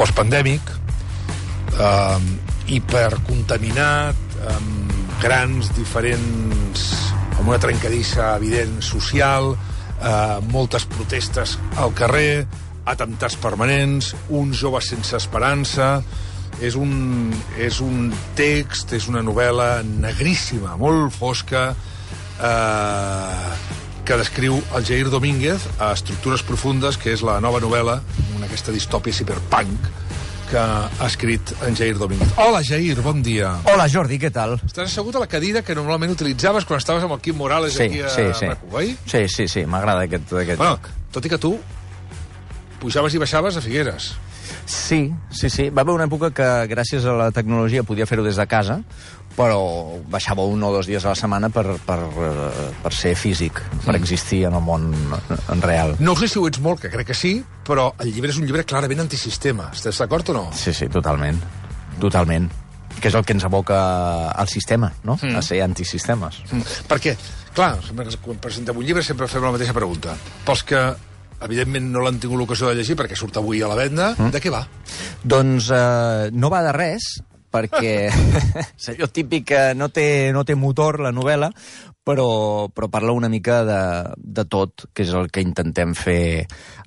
postpandèmic, hipercontaminat, amb grans diferents, amb una trencadissa evident social, moltes protestes al carrer, atemptats permanents, uns joves sense esperança. És un text, és una novel·la negríssima, molt fosca, que descriu el Jair Domínguez a Estructures profundes, que és la nova novel·la, aquesta distòpia ciberpunk, que ha escrit en Jair Domínguez. Hola, Jair, bon dia. Hola, Jordi, què tal? Estàs assegut a la cadira que normalment utilitzaves quan estaves amb el Quim Morales aquí a RAC1, oi? Sí, m'agrada aquest lloc. Tot i que tu pujaves i baixaves a Figueres. Sí. Va haver una època que, gràcies a la tecnologia, podia fer-ho des de casa, però baixava 1 o 2 dies a la setmana per ser físic, per existir en el món real. No sé si ho ets molt, que crec que sí, però el llibre és un llibre clarament antisistema. Estàs d'acord o no? Sí, totalment. Que és el que ens aboca al sistema, no? A ser antisistemes. Perquè, clar, quan presentem un llibre sempre fem la mateixa pregunta. Pels que evidentment no l'han tingut l'ocasió de llegir perquè surt avui a la venda, de què va? Doncs no va de res, perquè és allò típic que no té motor, la novel·la, però parla una mica de tot, que és el que intentem fer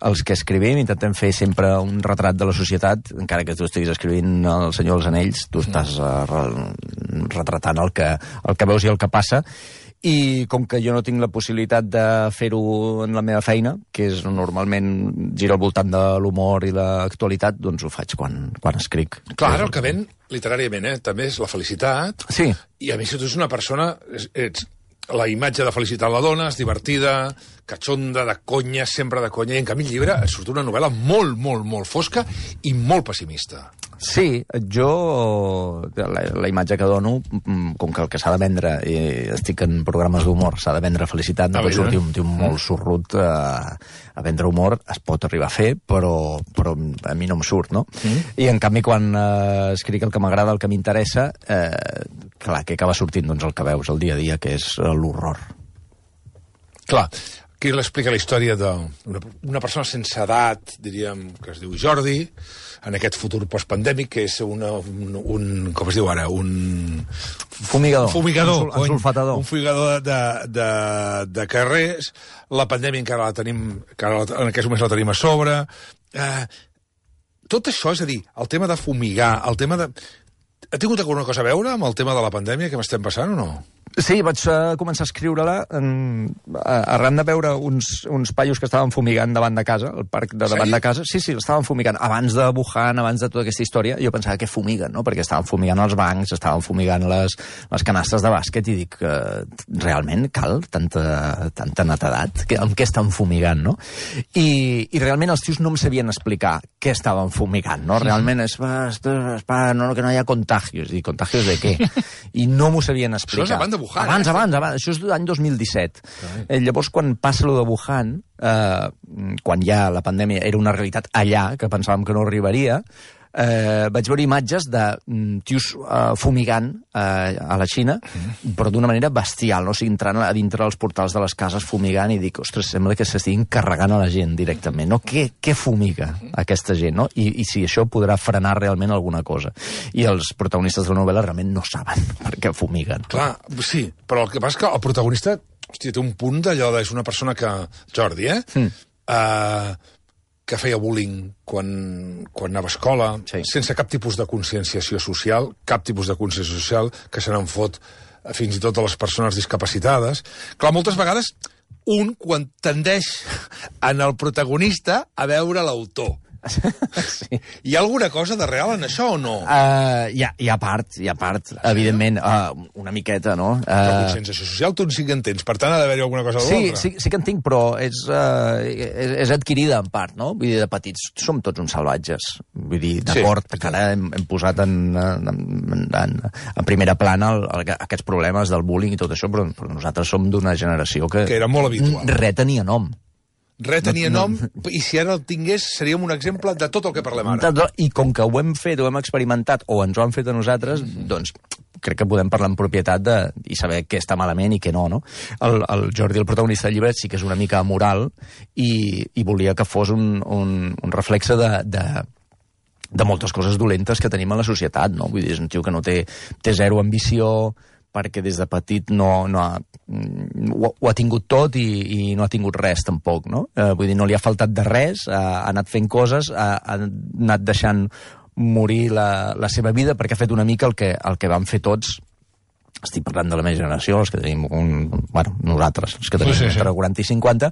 els que escrivim. Intentem fer sempre un retrat de la societat, encara que tu estiguis escrivint El Senyor dels Anells, tu estàs retratant el que veus i el que passa. I com que jo no tinc la possibilitat de fer-ho en la meva feina, que és normalment gira al voltant de l'humor i l'actualitat, doncs ho faig quan escric. Clar, ara el que ven, literàriament, també és la felicitat. Sí. I a més, si tu ets una persona, ets la imatge de felicitat la dona, és divertida, catxonda, de conya, sempre de conya, i en canvi el llibre surt una novel·la molt, molt, molt fosca i molt pessimista. Sí, jo la imatge que dono, com que el que s'ha de vendre, i estic en programes d'humor, s'ha de vendre felicitat, no pot sortir un tio molt sorrut a vendre humor, es pot arribar a fer, però a mi no em surt, no? I en canvi quan escric el que m'agrada, el que m'interessa, clar, què acaba sortint? Doncs el que veus el dia a dia, que és l'horror. Clar, aquí l'explica la història d'una persona sense edat, diríem, que es diu Jordi, en aquest futur postpandèmic, que és un com es diu ara, un fumigador, un sulfatador, un fumigador de carrers. La pandèmia encara la tenim, en aquests moments la tenim a sobre. Tot això, és a dir, el tema de fumigar, el tema de... Ha tingut alguna cosa a veure amb el tema de la pandèmia que m'estem passant o no? Sí, vaig començar a escriure-la arran de veure uns paios que estaven fumigant davant de casa, el parc de davant de casa. Sí, l'estaven fumigant. Abans de Wuhan, abans de tota aquesta història, jo pensava que fumiguen, no? Perquè estaven fumigant els bancs, estaven fumigant les canastes de bàsquet, i dic, realment cal tanta netedat? Amb què estan fumigant, no? I realment els tios no em sabien explicar què estaven fumigant, no? Realment és que no hi ha contagios. I contagios de què? I no m'ho sabien explicar. Això és abans de Wuhan. Abans. Això és l'any 2017. Llavors, quan passa allò de Wuhan, quan ja la pandèmia era una realitat allà, que pensàvem que no arribaria, vaig veure imatges de tios fumigant a la Xina, però d'una manera bestial, no? O sigui, entrant a dintre dels portals de les cases fumigant, i dic, ostres, sembla que s'estiguin carregant a la gent directament, no? Què fumiga aquesta gent, no? I si això podrà frenar realment alguna cosa. I els protagonistes de la novel·la realment no saben per què fumiguen. Clar, sí, però el que passa és que el protagonista, hòstia, té un punt d'allò és una persona que... Jordi, que feia bullying quan anava a escola, sense cap tipus de conscienciació social, que se n'en fot fins i tot a les persones discapacitades. Clar, moltes vegades quan tendeix en el protagonista a veure l'autor. Sí. Hi ha alguna cosa de real en això o no? Hi ha part, evidentment, una miqueta, no? La conscienciació social tu sí que en tens, per tant ha d'haver-hi alguna cosa de l'altra. Sí que en tinc, però és adquirida en part, no? Vull dir, de petits som tots uns salvatges. Vull dir, d'acord, que ara hem posat en primera plana aquests problemes del bullying i tot això, però nosaltres som d'una generació que era molt habitual. Res tenia nom. Res tenia nom, i si ara el tingués seríem un exemple de tot el que parlem ara. I com que ho hem fet, ho hem experimentat, o ens ho han fet a nosaltres, doncs crec que podem parlar en propietat i saber què està malament i què no, no? El Jordi, el protagonista del llibre, sí que és una mica amoral i volia que fos un reflexe de moltes coses dolentes que tenim a la societat, no? Vull dir, és un tio que no té zero ambició, perquè des de petit ho ha tingut tot i no ha tingut res, tampoc, no? Vull dir, no li ha faltat de res, ha anat fent coses, ha anat deixant morir la seva vida, perquè ha fet una mica el que vam fer tots. Estic parlant de la meva generació, els que tenim nosaltres, els que tenim entre 40 i 50,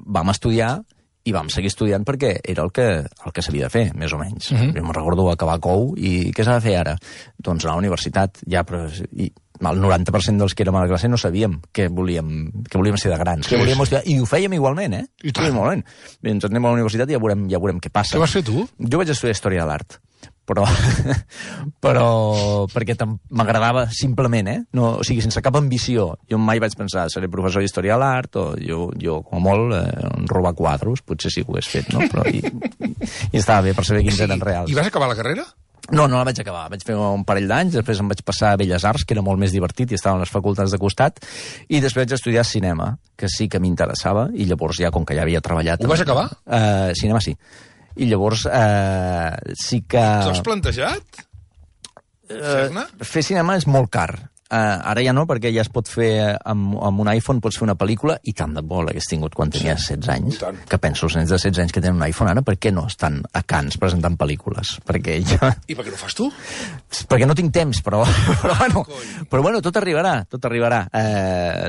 vam estudiar i vam seguir estudiant perquè era el que s'havia de fer, més o menys. Jo me'n recordo acabar COU i què s'ha de fer ara? Doncs anar a la universitat, ja, però el 90% dels que érem a la classe no sabíem què volíem ser de grans, què volíem estudiar, i ho fèiem igualment, eh? I tant. Igualment. Ens anem a la universitat i ja veurem què passa. Què vas fer tu? Jo vaig estudiar Història de l'Art, però perquè m'agradava simplement, no, o sigui, sense cap ambició. Jo mai vaig pensar, seré professor d'Història de l'Art, o jo com a molt, robar quadros, potser sí que ho hagués fet, no? Però i estava bé per saber quins eren reals. I vas acabar la carrera? No la vaig acabar. Vaig fer un parell d'anys, després em vaig passar a Belles Arts, que era molt més divertit, i estaven les facultats de costat, i després vaig estudiar cinema, que sí que m'interessava, i llavors ja, com que ja havia treballat... Ho vas acabar? Cinema sí. I llavors sí que... T'ho has plantejat? Fer cinema és molt car. Ara ja no, perquè ja es pot fer amb un iPhone, pots fer una pel·lícula, i tant de bo l'hagués tingut quan tenia 16 anys. Que penso, els nens de 16 anys que tenen un iPhone ara, per què no estan a Cannes presentant pel·lícules? Perquè ja... I per què no fas tu? Perquè no tinc temps, però bueno, tot arribarà, tot arribarà.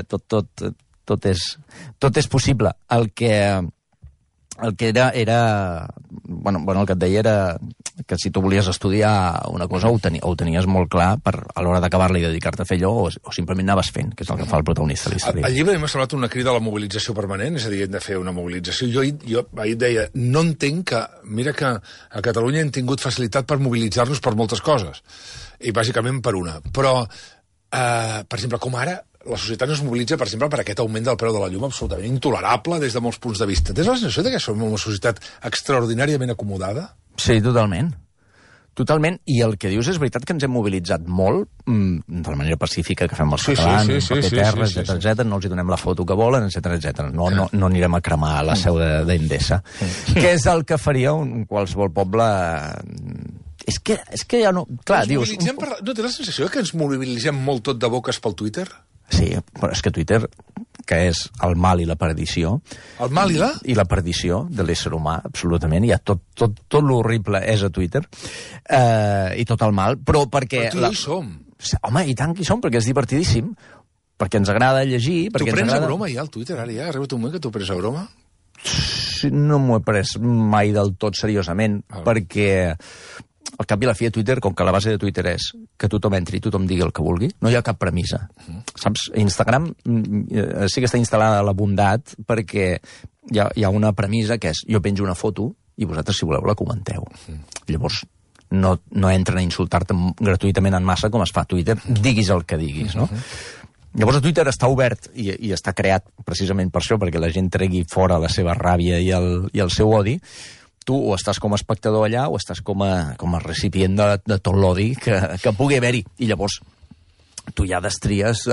Tot és possible. El que era... Bueno, el que et deia era que si tu volies estudiar una cosa ho tenies molt clar a l'hora d'acabar-la i dedicar-te a fer allò, o simplement anaves fent, que és el que fa el protagonista de la història. El llibre m'ha semblat una crida a la mobilització permanent, és a dir, hem de fer una mobilització. Jo ahir deia, no entenc que... Mira que a Catalunya hem tingut facilitat per mobilitzar-nos per moltes coses, i bàsicament per una. Però, per exemple, com ara, la societat no es mobilitza, per exemple, per aquest augment del preu de la llum absolutament intolerable des de molts punts de vista. Tens la sensació que som una societat extraordinàriament acomodada? Sí, totalment. Totalment, i el que dius és veritat que ens hem mobilitzat molt, de la manera pacífica que fem els catalans, paper terra, etcètera, no els hi donem la foto que volen, etcètera. No anirem a cremar la seu d'Endesa. Què és el que faria un qualsevol poble... És que ja no... Clar, dius... No tens la sensació que ens mobilitzem molt tot de boques pel Twitter? Sí, però és que Twitter, que és el mal i la perdició... El mal i la? I la perdició de l'ésser humà, absolutament. Hi ha tot l'horrible és a Twitter, i tot el mal, però perquè... Però tu hi som. Home, i tant que hi som, perquè és divertidíssim, perquè ens agrada llegir... Tu prens a broma ja al Twitter, ara ja? Ha arribat un moment que tu prens a broma? No m'ho he pres mai del tot seriosament, perquè... Al cap i la fi de Twitter, com que la base de Twitter és que tothom entri i tothom digui el que vulgui, no hi ha cap premissa. Saps? Instagram sí que està instal·lada la bondat perquè hi ha una premissa que és jo penjo una foto i vosaltres, si voleu, la comenteu. Llavors, no entren a insultar-te gratuïtament en massa com es fa a Twitter, diguis el que diguis, no? Llavors, Twitter està obert i està creat precisament per això, perquè la gent tregui fora la seva ràbia i el seu odi. Tu o estàs com a espectador allà o estàs com a recipient de tot l'odi que pugui haver-hi. I llavors tu ja destries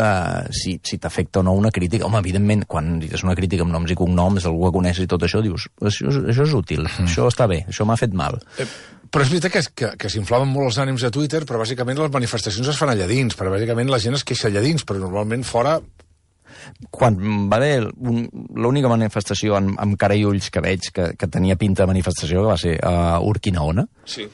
si t'afecta o no una crítica. Home, evidentment, quan dius una crítica amb noms i cognoms, algú que coneixes i tot això, dius, això és útil, això està bé, això m'ha fet mal. Però és veritat que s'inflaven molt els ànims a Twitter, però bàsicament les manifestacions es fan allà dins, perquè bàsicament la gent es queixa allà dins, però normalment fora... Quan va haver l'única manifestació amb cara i ulls que veig que tenia pinta de manifestació, que va ser a Urquinaona, sí.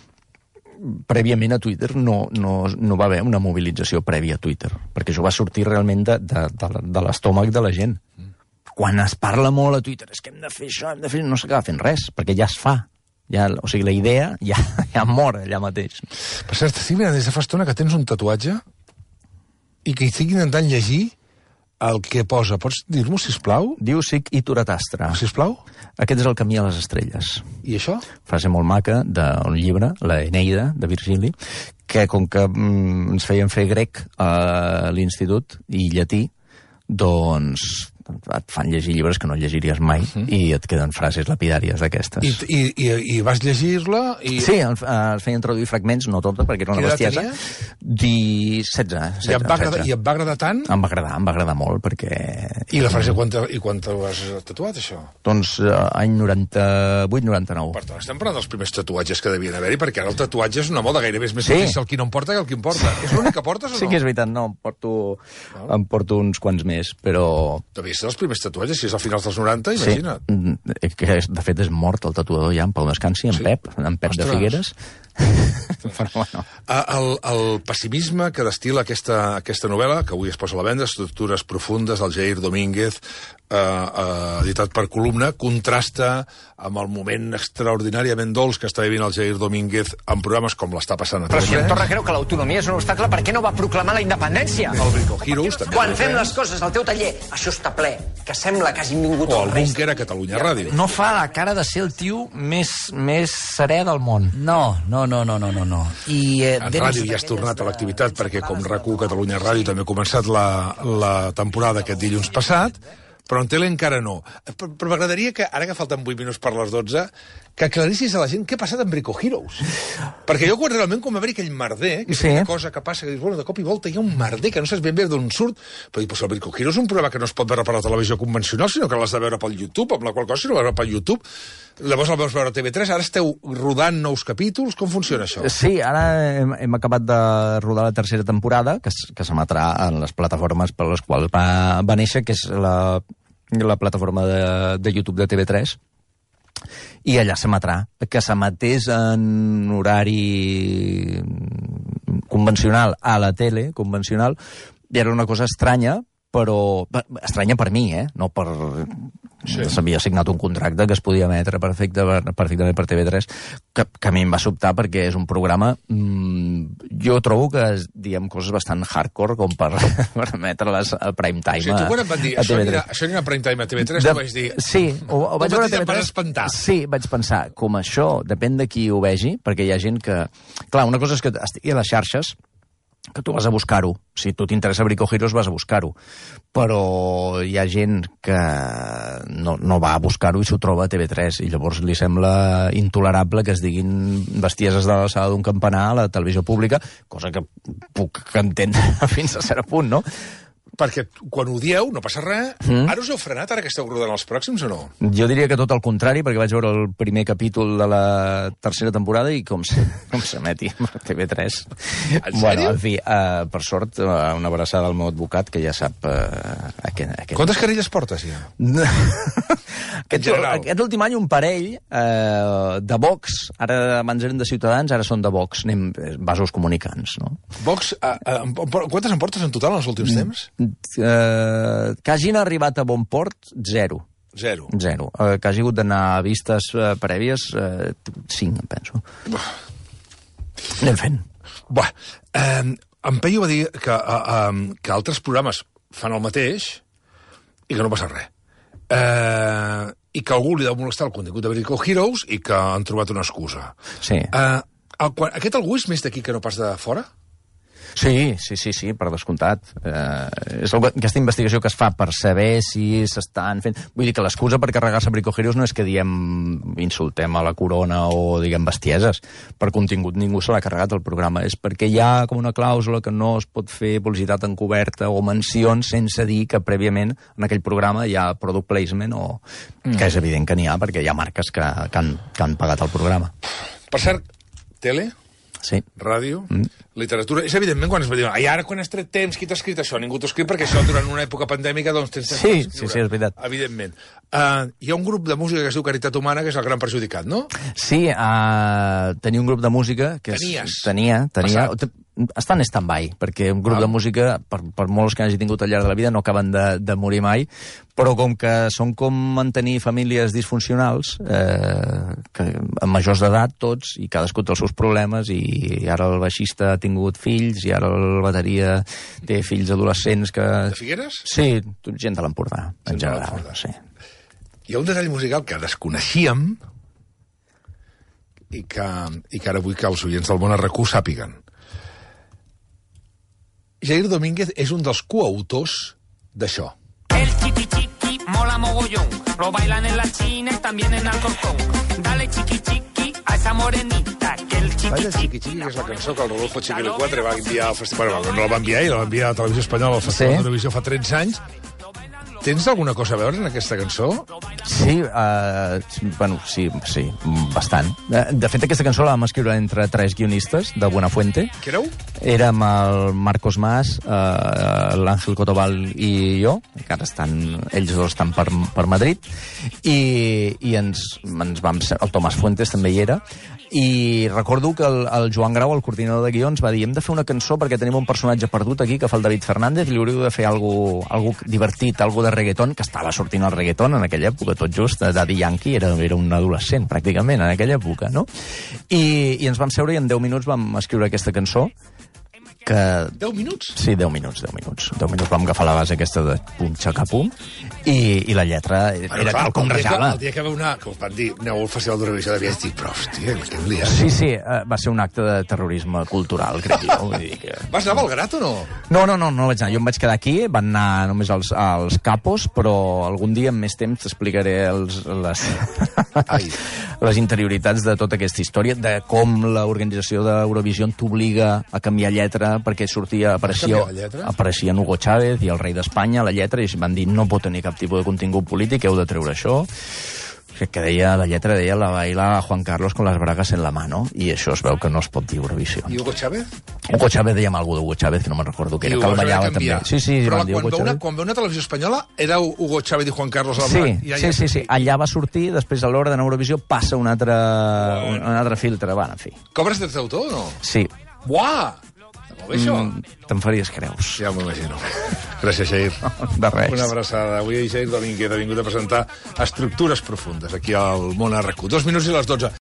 Prèviament a Twitter no va haver una mobilització prèvia a Twitter, perquè això va sortir realment de l'estómac de la gent. Quan es parla molt a Twitter, és que hem de fer això, no s'acaba fent res, perquè ja es fa. O sigui, la idea ja mor allà mateix. Per cert, estic mirant des de fa estona que tens un tatuatge i que estic intentant llegir el que posa. Pots dir-m'ho, sisplau? Diu Sic Ituratastра. Sisplau? Aquest és el camí a les estrelles. I això? Frase molt maca d'un llibre, la Eneida, de Virgili, que com que ens feien fer grec a l'institut i llatí, doncs et fan llegir llibres que no llegiries mai i et queden frases lapidàries d'aquestes. I vas llegir-la? Sí, els feien traduir fragments, no tota, perquè era una bestiesa. 16. I et va agradar tant? Em va agradar molt, perquè... I la frase, quan t'ho has tatuat, això? Doncs any 98-99. Per tant, estem parlant dels primers tatuatges que devien haver-hi, perquè ara el tatuatge és una moda, gairebé és més difícil el qui no em porta que el qui em porta. És l'únic que portes o no? Sí que és veritat, no, em porto uns quants més, però... Devia ser els primers tatuatges, si és al finals dels 90, imagina't. Sí, que de fet és mort el tatuador ja, en Pau Descansi, en Pep de Figueres. Però bueno. El pessimisme que destila aquesta novel·la, que avui es posa a la venda, Estructures profundes, del Jair Domínguez, editat per Columna, contrasta amb el moment extraordinàriament dolç que està vivint el Jair Domínguez en programes com l'està passant a Però si TV3. en Torra creu que l'autonomia és un obstacle, per què no va proclamar la independència? El Brico Heroes, també. Quan fem les coses al teu taller, això està ple, que sembla que hagin vingut O els el reis. Búnquer a Catalunya Ràdio. No fa la cara de ser el tio més serè del món. No. I, En ràdio ja has tornat a l'activitat perquè com RAC1 Catalunya Ràdio també ha començat la temporada aquest dilluns passat, però en tele encara no. Però m'agradaria que, ara que falten 8 minuts per les 12, que aclarissis a la gent què ha passat amb Brico Heroes. Perquè jo realment quan va haver aquell merder, que és una cosa que passa, que dius, bueno, de cop i volta hi ha un merder que no saps ben bé d'on surt, però dius, el Brico Heroes és un programa que no es pot veure per la televisió convencional, sinó que l'has de veure pel YouTube, amb la qual cosa si no veure pel YouTube, llavors el veus veure a TV3, ara esteu rodant nous capítols, com funciona això? Sí, ara hem acabat de rodar la tercera temporada, que s'emetrà en les plataformes per les quals va néixer, que és la plataforma de YouTube de TV3, i allà s'emetrà, que s'emetés en horari convencional a la tele, convencional, i era una cosa estranya, però estranya per mi, no per... Sí. S'havia signat un contracte que es podia emetre perfectament per TV3, que a mi em va sobtar perquè és un programa... jo trobo que diem coses bastant hardcore com per emetre-les al prime time. O sigui, tu quan em van dir això anirà a prime time a TV3, tu vaig dir... Sí, ho vaig veure a TV3. Vas espantar. Sí, vaig pensar, com això depèn de qui ho vegi, perquè hi ha gent que... Clar, una cosa és que estigui a les xarxes, que tu vas a buscar-ho. Si tu t'interessa Brico Heroes, vas a buscar-ho. Però hi ha gent que no va a buscar-ho i s'ho troba a TV3, i llavors li sembla intolerable que es diguin bestieses de l'alçada d'un campanar a la televisió pública, cosa que puc entendre fins a cert punt, no? Perquè quan ho dieu, no passa res. Ara us heu frenat, ara que esteu rodant els pròxims, o no? Jo diria que tot el contrari, perquè vaig veure el primer capítol de la tercera temporada i com s'emeti a TV3. En sèrio? Bueno, en fi, per sort, una abraçada al meu advocat, que ja sap... Quantes querelles portes, ja? Aquest últim any un parell de Vox, ara abans eren de Ciutadans, ara són de Vox, anem vasos comunicants, no? Vox, quantes en portes en total en els últims temps? Que hagin arribat a bon port, 0. Que hagi hagut d'anar a vistes prèvies, 5, em penso. Anem fent. En Peyu va dir que altres programes fan el mateix i que no passa res. I que algú li deu molestar el contingut de Brico Heroes i que han trobat una excusa. Sí. Aquest algú és més d'aquí que no pas de fora? Sí, per descomptat. És aquesta investigació que es fa per saber si s'estan fent... Vull dir que l'excusa per carregar-se Brico Heroes no és que insultem a la corona o diguem bestieses. Per contingut ningú se l'ha carregat el programa. És perquè hi ha com una clàusula que no es pot fer publicitat encoberta o mencions sense dir que prèviament en aquell programa hi ha product placement o... que és evident que n'hi ha perquè hi ha marques que han pagat el programa. Per cert, tele... Sí. Ràdio, literatura... És evidentment quan es va dir, ara quan has tret temps, qui t'ha escrit això? Ningú t'ha escrit perquè això durant una època pandèmica doncs tens temps d'escriure. Sí, és veritat. Evidentment. Hi ha un grup de música que es diu Caritat Humana, que és el gran perjudicat, no? Sí, tenia un grup de música... Tenia. Està en stand-by, perquè un grup de música, per molts que hagi tingut al llarg de la vida, no acaben de morir mai, però com que són com mantenir famílies disfuncionals, amb majors d'edat tots, i cadascú té els seus problemes, i ara el baixista ha tingut fills, i ara el bateria té fills adolescents que... De Figueres? Sí, gent de l'Empordà, en general. Sí. Hi ha un detall musical que desconeixíem i que ara vull que els oients del Món RQ sàpiguen. Jair Domínguez és un dels coautors d'això. El chiqui chiqui mola mogollón. Lo bailan en la China y también en Alcorcón. Dale chiqui chiqui a esa morenita, que el chiqui Balla Chiqui Chiqui, que és la cançó que el Rodolfo Chiquili 4 va enviar al festival. Bueno, no la va enviar ell, la va enviar a la Televisió Espanyola al Festival d'Eurovisió fa 13 anys. Tens alguna cosa a veure en aquesta cançó? Sí, bueno, sí, bastant. De fet, aquesta cançó la vam escriure entre 3 guionistes de Buenafuente. Qui éreu? Érem el Marcos Mas, l'Àngel Cotobal i jo, que ara ells dos estan per Madrid, i ens vam... El Tomàs Fuentes també hi era, i recordo que el Joan Grau, el coordinador de guions, va dir hem de fer una cançó perquè tenim un personatge perdut aquí, que fa el David Fernández, i li hauríeu de fer algo divertit, algo de reggaeton, que estava sortint el reggaeton en aquella època, tot just. Daddy Yankee era un adolescent, pràcticament, en aquella època, no? I ens vam seure i en 10 minuts vam escriure aquesta cançó, que... 10 minuts? Sí, 10 minuts. 10 minuts vam agafar la base aquesta de pum, xacapum, i la lletra era tal com rejava. El dia que vau anar, que us van dir, aneu al Festival d'Eurovisió, devies dir, però, hòstia, que hem liat. Sí, va ser un acte de terrorisme cultural, crec jo. Vull dir que... Vas anar a Belgrat o no? No vaig anar. Jo em vaig quedar aquí, van anar només als capos, però algun dia, amb més temps, t'explicaré les interioritats de tota aquesta història, de com l'organització d'Eurovisió t'obliga a canviar lletra, perquè apareixien Hugo Chávez i el rei d'Espanya a la lletra, i van dir no pot tenir cap tipus de contingut polític, heu de treure això. Que la lletra deia la baila Juan Carlos con las bragas en la mano, i això es veu que no es pot dir Eurovisió. I Hugo Chávez? Hugo Chávez, dèiem alguna d'Hugo Chávez, que no me'n recordo què era, que el ballava també. Sí, però van dir Hugo Chávez. Quan veu una televisió espanyola, era Hugo Chávez i Juan Carlos a la blanc? Sí. Allà va sortir, després a l'hora d'anar a Eurovisió passa un altre filtre. Bueno, en fi. Cobres drets d'autor o no? Sí. Buah! Molt bé, això. Te'n faries creus. Ja m'ho imagino. Gràcies, Jair. De res. Una abraçada. Avui Jair Domínguez ha vingut a presentar Estructures profundes aquí al Món RQ. 2 minuts i les 12.